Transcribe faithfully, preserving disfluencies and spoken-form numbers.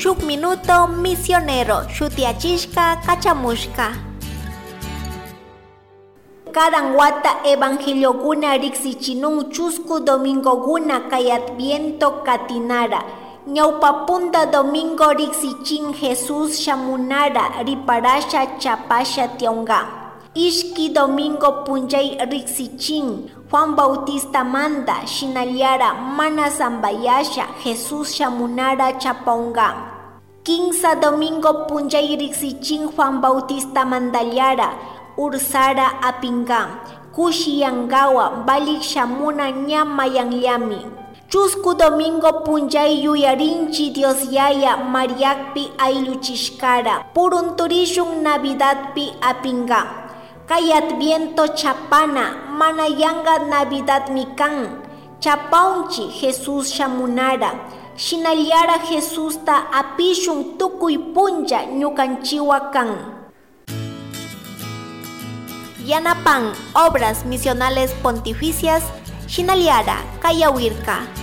Shuk minuto misionero shutiyachishka kachamushka. Karan wata evangeliokuna riksichinun chusku domingokuna kay Adviento katinara. Ñawpa punta domingo riksichin Jesús shamunara riparasha chapasha tiyaunka. Ishki domingo punllay riksichin Juan Bautistamanta, shinallara mana sambayasha Jesús shamunara chapaunka. Kinsa domingo punllay riksichin Juan Bautistamantallara ursara apinka, kushi yankawan valik shamuna ña mayanllami. Chusku domingo punllay yuyarinchi Dios Yaya Mariakpi aylluchishkara, purunturishun Navidadpi apinka. Kay Adviento chapana mana yanka Navidadmi kan. Chapaunchi Jesús shamunara, shinallara Jesusta apishun tukuy punlla ñukanchiwa kan. Yanapan Obras Misionales Pontificias shinallara kayawirka.